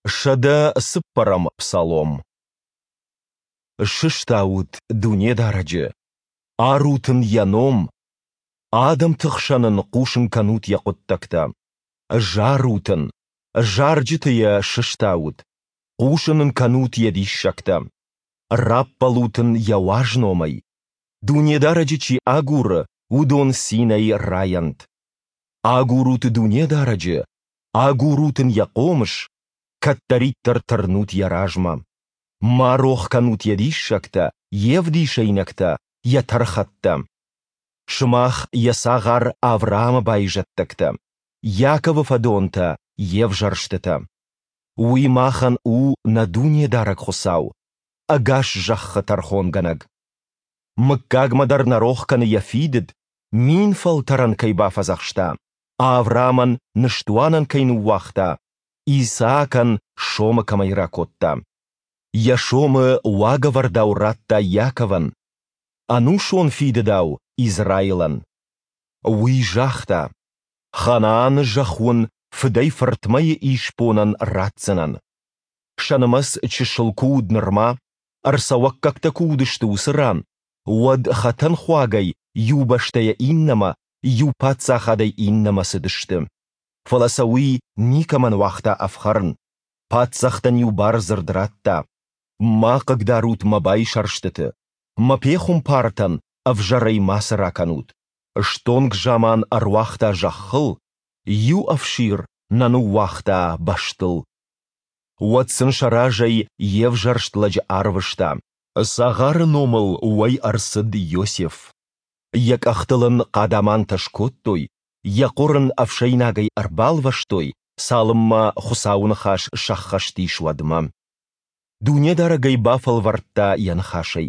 104-ӕм псалом. Сыстаут Дунедарӕджы, арут Ын Йӕ ном, адӕмты хсӕн Ын хъусын кӕнут Йӕ хъуыддӕгтӕ. Зарут Ын, зарджыты Йӕ сыстаут, хъусын Ын кӕнут Йӕ диссӕгтӕ. Раппӕлут Ын Йӕ уаз номӕй. Дунедарӕджы чи агуры, уыдон цинӕй райӕнт. Агурут Дунедарӕджы, агурут Ын Йӕ хъомыс, кӕддӕриддӕр тырнут Йӕ размӕ. Ма рох кӕнут Йӕ диссӕгтӕ, Йе вдисӕйнӕгтӕ, Йӕ тӕрхӕттӕ. Сымах Йӕ цагъар Авраамы байзӕддӕгтӕ, Иаковы фӕдонтӕ, Йе взӕрстытӕ. Уый махӕн у нӕ Дунедарӕг Хуыцау, ӕгас зӕххы тӕрхонгӕнӕг. Мыггагмӕ дӕр нӕ рох кӕны Йӕ фидыд, фӕлтӕрӕн кӕй бафӕдзӕхста, Авраамӕн ныстуанӕн кӕй ныууагъта, Исаакӕн сомы кӕмӕй ракодта. Йӕ сомы уагӕвӕрдау радта Иаковӕн, ӕнусон фидыдау Израилӕн. Уый загъта: Ханааны зӕхх уын фыдӕй-фыртмӕйы исбонӕн ратдзынӕн. Сӕ нымӕц чысыл куы уыд нырма, ӕрцӕуӕггӕгтӕ куы уыдысты уыцы ран, уӕд хӕтӕнхуагӕй иу бӕстӕйӕ иннӕмӕ, иу паддзахадӕй иннӕмӕ цыдысты. Фӕлӕ сӕ уый никӕмӕн уагъта ӕфхӕрын, паддзӕхтӕн-иу бардзырд радта: Ма хъыгдарут мӕ байсӕрстыты, мӕ пехуымпартӕн ӕвзӕрӕй мацы ракӕнут. Стонг заман ӕруагъта зӕххыл, иу ӕфсир нӕ ныууагъта бӕстыл. Уӕд сын сӕ разӕй йе взӕрст лӕджы арвыста. Цагъары номыл уӕй ӕрцыд Иосиф. Йӕ къӕхтыл ын хъадамантӕ скодтой, йӕ хъуыр ын ӕфсӕйнагӕй ӕрбалвӕстой, цалынмӕ Хуыцауы ныхас сӕххӕст ис, уӕдмӕ. Дунедарӕг ӕй бафӕлвӕрдта йӕ ныхасӕй.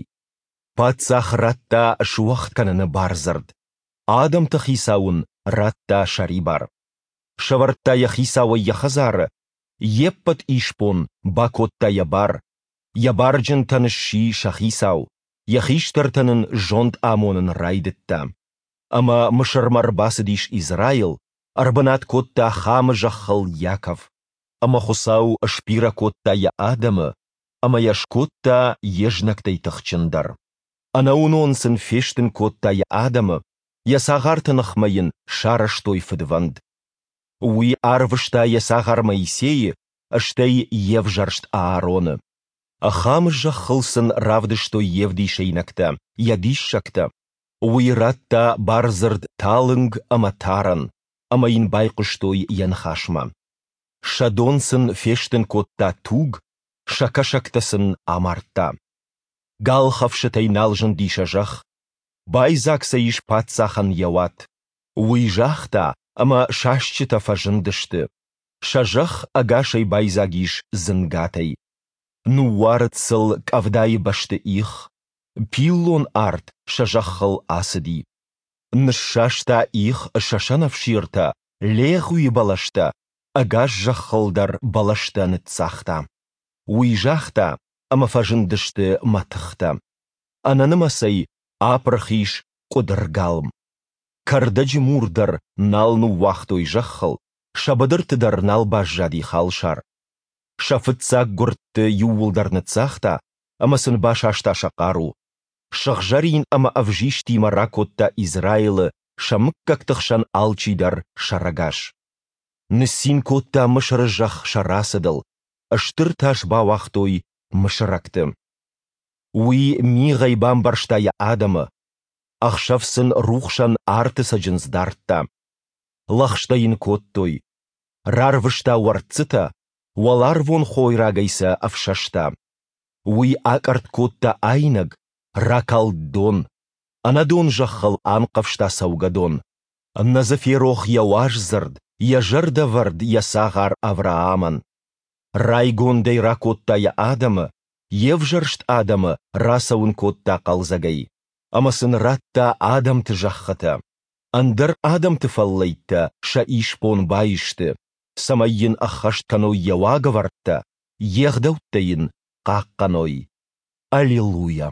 Паддзах радта суӕгъд кӕныны бардзырд, адӕмты хицау ын радта сӕрибар. Сӕвӕрдта йӕ хицауӕй йӕ хӕдзары, йе ппӕт исбон бакодта йӕ бар, йӕ барджынтӕн сси сӕ хицау, йӕ хистӕртӕн ын зонд амонын райдыдта. Ӕмӕ Мысырмӕ ӕрбацыдис Израил, ӕрбынат кодта Хамы зӕххыл Иаков. Ӕмӕ Хуыцау сбирӕ кодта йӕ адӕмы ӕмӕ йӕ скодта йе знӕгтӕй тыхджындӕр. Ӕнӕуынон сын фестын кодта йӕ адӕмы, йӕ цагъарты ныхмӕ йын сарӕзтой фыдвӕнд. Уый арвыста йӕ цагъар Моисейы, стӕй йе взӕрст Аароны. Хамы зӕххыл сын равдыстой йе вдисӕйнӕгтӕ, йӕ диссӕгтӕ. Уый радта бардзырд талынг ӕмӕ тарӕн, ӕмӕ йын байхъуыстой йӕ ныхасмӕ. Сӕ дон сын фестын кодта туг, сӕ кӕсӕгтӕ сын амардта. Галхӕфсытӕй нал зынди сӕ зӕхх, байдзаг сӕ ис паддзахӕн йӕ уат. Уый загъта, ӕмӕ сасчытӕ фӕзындысты. Сӕ зӕхх ӕгасӕй байдзаг ис дзынгатӕй. Ныууарыд сыл къӕвдайы бӕсты их, пиллон арт сӕ зӕххыл ацыди. Ныссаста их сӕ сӕнӕфсиртӕ, легъуи бӕлӕстӕ, ӕгас зӕххыл дӕр бӕлӕстӕ ныццагъта. Уый загъта, ӕмӕ фӕзындысты мӕтыхтӕ. Ӕнӕнымӕцӕй апырх ис къуыдыргалм. Кӕрдӕджы мур дӕр нал ныууагътой зӕххыл, сӕ быдырты дӕр нал баззади халсар. Сӕ фыццаг гуырдты иууылдӕр ныццагъта ӕмӕ сын басаста сӕ хъару. Сыгъзӕрин ӕмӕ ӕвзистимӕ ракодта Израилы сӕ мыггӕгты хсӕн алчидӕр сӕрӕгас. Ныццин кодта Мысыры зӕхх сӕ рацыдыл, стыр тас бауагътой мысырӕгты. Уый мигъӕй бамбӕрзта йӕ адӕмы, ӕхсӕв сын рухсӕн арты цӕджындз дардта. Лӕгъстӕ йын кодтой. Рарвыста уӕрццытӕ, уӕларвон хойрагӕй сӕ ӕфсӕста. Уый акъӕртт кодта айнӕг, ракалд дон. Ӕнӕдон зӕххыл анхъӕвзта цӕугӕдон. Нӕ дзы ферох йӕ уаз дзырд, йӕ зӕрдӕвӕрд йӕ цагъар Авраамӕн. Райгондӕй ракодта йӕ адӕмы, йе взӕрст адӕмы рацӕуын кодта хъӕлдзӕгӕй. Ӕмӕ сын радта адӕмты зӕххытӕ. Ӕндӕр адӕмты фӕллӕйттӕ сӕ исбон баисты, цӕмӕй йын ӕххӕст кӕной йӕ уагӕвӕрдтӕ, йе гъдӕуттӕ йын хъахъхъӕной. Аллилуйа!